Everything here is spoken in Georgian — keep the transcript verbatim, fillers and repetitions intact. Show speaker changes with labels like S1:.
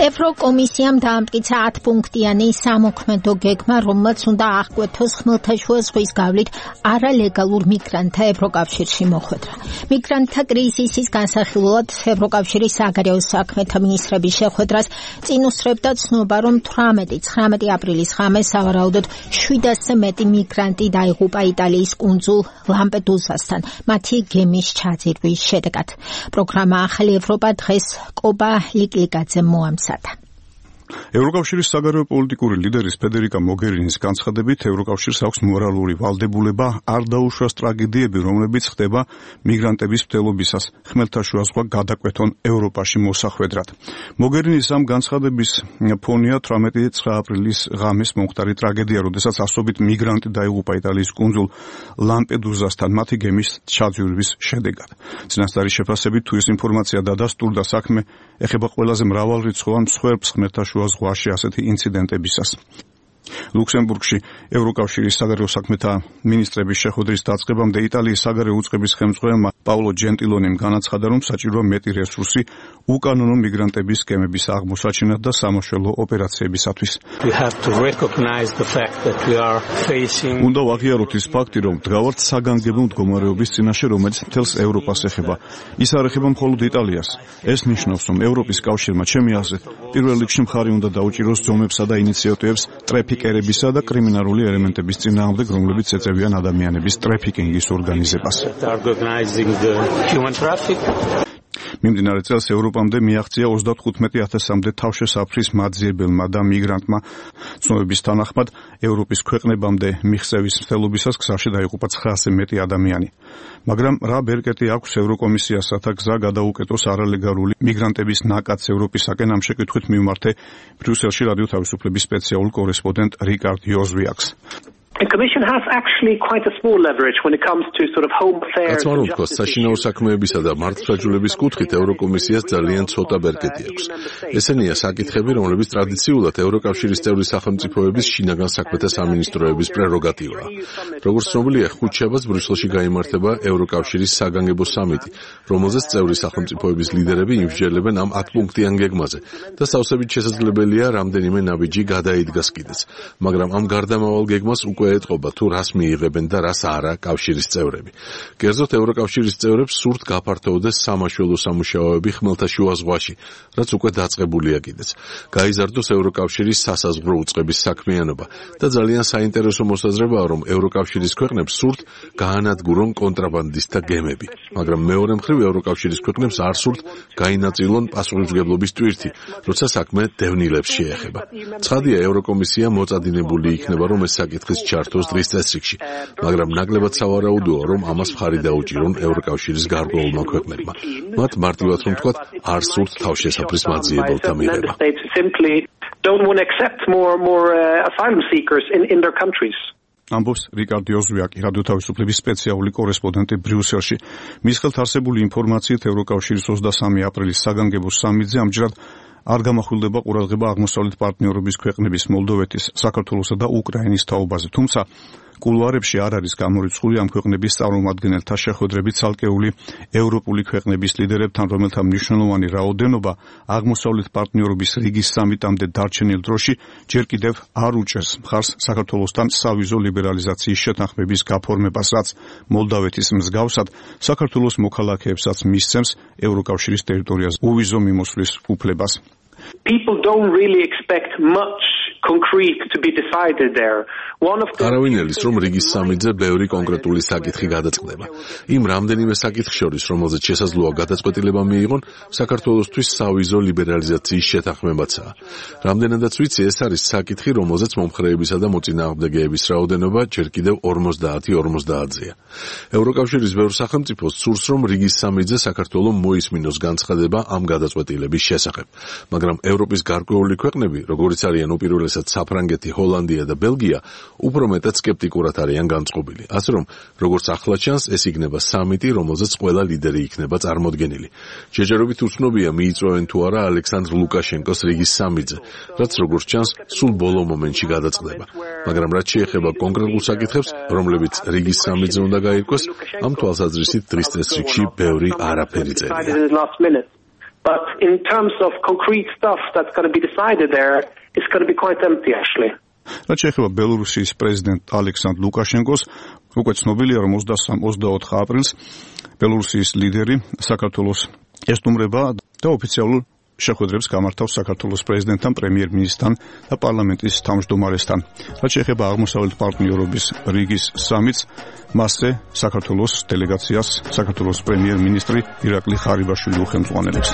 S1: ევროკომისიამ დაამტკიცა ათპუნქტიანი სამოქმედო გეგმა, რომელმაც უნდა აღკვეთოს ხმელთაშუა ზღვის გავლით არალეგალურ მიგრანტთა ევროკავშირში მოხვედრა. მიგრანტთა კრიზისის განსახილველად ევროკავშირის საგარეო საქმეთა მინისტრების შეხვედრას წინ უსწრებდა ცნობა, რომ თვრამეტი აპრილის ღამეს სავარაუდოდ შვიდასზე მეტი მიგრანტი დაიღუპა იტალიის კუნძულ ლამპედუსასთან, მათი გემის ჩაძირვის შედეგად. პროგრამა ახალი ევროპა დღეს კობა ლიკლიკაძემ მოამზადა.
S2: ევროკავშირის საგარეო პოლიტიკური ლიდერის ფედერიკა მოგერინის განცხადებით, ევროკავშირს აქვს მორალური ვალდებულება არ დაუშვას ტრაგედიები, რომლებიც ხდება მიგრანტების მტელობისას ხმელთაშუა ზღვა გადაკვეთონ ევროპაში მოსახვედრად. მოგერინის ამ განცხადების ფონია თვრამეტი აპრილის ღამეს მომხდარი ტრაგედია, როდესაც ასობით მიგრანტი დაიღუპა იტალიის კუნძულ ლამპედუსასთან მათი გემის ჩაძირვის შედეგად. წინასწარი შეფასებით, თუ ეს ინფორმაცია დადასტურდა, საქმე ეხება ყველაზე მრავალრიცხოვან მსხვერპლს ხმელთაშუა ზღვაში ასეთი ინციდენტებისას. ლუქსემბურგში ევროკავშირის საგარეო საქმეთა მინისტრების შეხვედრის დაწყებამდე იტალიის საგარეო უწყების ხელმძღვანელმა პაულო ჯენტილონიმ განაცხადა, რომ საჭიროა მეტი რესურსი უკანონო მიგრანტების გემების აღმოსაჩენად და სამაშველო ოპერაციებისათვის. უნდა ვაღიაროთ ის ფაქტი, რომ ვდგავართ საგანგებო მდგომარეობის წინაშე, რომელიც მთელს ევროპას ეხება. ის არ ეხება მხოლოდ იტალიას. ეს ნიშნავს, რომ ევროპის კავშირმა ჩემი აზრით პირველ რიგში მხარი უნდა დაუჭიროს ზომებსა და ინიციატივებს ტრეფიკერებისა და კრიმინალური ელემენტების წინააღმდეგ, რომლებიც ეწევიან ადამიანების ტრეფიკინგის ორგანიზებას. მიმდინარე წელს ევროპამდე მიაღწია ოცდათხუთმეტი ათასამდე თავშესაფრის მაძიებელმა და მიგრანტმა. ცნობების თანახმად, ევროპის ქვეყნებამდე მიღწევის მცდელობისას გზაში დაიღუპა ცხრაასზე მეტი ადამიანი. მაგრამ რა ბერკეტი აქვს ევროკომისიას, რათა გზა გადაუკეტოს არალეგალური მიგრანტების ნაკადს ევროპისაკენ? ამ შეკითხვით მივმართე ბრიუსელში რადიო თავისუფლების სპეციალურ კორესპონდენტ რიკარდ იოზვიაკს.
S3: The Commission has actually quite a small leverage when it comes to sort of home affairs.
S4: კაცმაროვთქოს საშინაო საქმეებისა და მართლმსაჯულების კუთხით ევროკომისიას ძალიან ცოტა ბერკეტი აქვს. ესენია საკითხები, რომლებიც ტრადიციულად ევროკავშირის წევრი სახელმწიფოების შინაგან საქმეთა სამინისტროების პრეროგატივაა. როგორც ცნობილია, ხუთშაბათს ბრიუსელში გაიმართება ევროკავშირის საგანგებო სამიტი, რომელზეც წევრი სახელმწიფოების ლიდერები იმსჯელებენ ამ ათპუნქტიან გეგმაზე და სავსებით შესაძლებელია რამდენიმე ნაბიჯი გადაიდგას კიდეც. მაგრამ ამ გარდამავალ გეგმას უკვე ეტყობა თუ რას მიიღებენ და რას არა კავშირის წევრები. კერძოდ ევროკავშირის წევრებს სურთ გაფართოვდეს სამაშველო სამუშაოები ხმელთაშუა ზღვაში, რაც უკვე დაწყებულია კიდეც. გაიზარდოს ევროკავშირის სასაზღვრო უწყების საქმიანობა და ძალიან საინტერესო მოსაზრებაა, რომ ევროკავშირის ქვეყნებს სურთ გაანადგურონ კონტრაბანდისტთა გემები. მაგრამ მეორე მხრივ ევროკავშირის ქვეყნებს არ სურთ გაინაწილონ პასუხისმგებლობის ტვირთი, როცა საქმე დევნილებს შეეხება. ცხადია, ევროკომისია მოწადინებული იქნება, რომ ეს საკითხის ჩართოს დღის წესრიგში, მაგრამ ნაკლებად სავარაუდოა, რომ ამას მხარი დაუჭირონ ევროკავშირის გარკვეულმა ქვეყნებმა. მათ მარტივად რომ თქვათ, არ სურთ თავშესაფრის მაძიებელთა მიღება.
S2: ამბობს რიკარდ იოზვიაკი, რადიო თავისუფლების სპეციალური კორესპონდენტი ბრიუსელში. მის ხელთ არსებული ინფორმაციით, ევროკავშირის ოცდასამი აპრილის საგანგებო სამიტზე ამჯერად არ გამახვილდება ყურადღება აღმოსავლეთ პარტნიორობის ქვეყნების მოლდოვეთის, საქართველოსა და უკრაინის თაობაზე. თუმცა კულუარებში არ არის გამორიცხული ამ ქვეყნების წარმომადგენელთა შეხვედრები ცალკეული ევროპული ქვეყნების ლიდერებთან, რომელთა მნიშვნელოვანი რაოდენობა აღმოსავლეთ პარტნიორობის რიგის სამიტამდე დარჩენილ დროში ჯერ კიდევ არ უჭერს მხარს საქართველოსთან სავიზო ლიბერალიზაციის შეთანხმების გაფორმებას, რაც მოლდოვეთის მსგავსად საქართველოს მოქალაქეებსაც მისცემს ევროკავშირის ტერიტორიაზე უვიზო მიმოსვლის უფლებას.
S3: People don't really expect much concrete to be decided there. One of the
S4: არავინ ელის რომ რიგის სამიტზე ბევრი კონკრეტული საკითხი გადაწყდება. იმ რამდენიმე საკითხს შორის, რომელზეც შესაძლოა გადაწყვეტილება მიიღონ, საქართველოსთვის სავიზო ლიბერალიზაციის შეთანხმებაცაა. რამდენადაც ვიცი, ეს არის საკითხი, რომელზეც მომხრეებისა და მოწინააღმდეგეების რაოდენობა ჯერ კიდევ ორმოცდაათი ორმოცდაათზეა. ევროკავშირის ბევრ სახელმწიფოს სურს, რომ რიგის სამიტზე საქართველოს მოისმინოს განცხადება ამ გადაწყვეტილების შესახებ. მაგრამ ევროპის გარკვეული ქვეყნები, როგორიც არიან უპირველესად საფრანგეთი, ჰოლანდია და ბელგია, უფრო მეტად სკეპტიკურად არიან განწყობილი. ასე რომ, როგორც ახლა ჩანს, ეს იქნება სამიტი, რომელზეც ყველა ლიდერი იქნება წარმოდგენილი. ჯერჯერობით უცნობია მიიწვევენ თუ არა ალექსანდრ ლუკაშენკოს რიგის სამიტზე, რაც როგორც ჩანს, სულ ბოლო მომენტში გადაწყდება. მაგრამ რაც შეეხება კონკრეტულ საკითხებს, რომლებიც რიგის სამიტზე უნდა გაირკვეს, ამ თვალსაზრისით დღის წესრიგში ბევრი არაფერი წერია.
S3: But in terms of concrete stuff that's going to be decided there, it's going to be quite empty actually.
S2: რაც შეეხება ბელორუსიის პრეზიდენტ ალექსანდრ ლუკაშენკოს, უკვე ცნობილია, რომ ოცდამესამე ოცდაოთხ აპრილს ბელორუსიის ლიდერი საქართველოს ესტუმრება და ოფიციალურ შეხვედრებს გამართავს საქართველოს პრეზიდენტთან, პრემიერ-მინისტრთან და პარლამენტის თავმჯდომარესთან. რაც შეეხება აღმოსავლეთ პარტნიორობის რიგის სამიტს, მასზე საქართველოს დელეგაციას საქართველოს პრემიერ-მინისტრი ირაკლი ხარიბაშვილი უხელმძღვანელებს.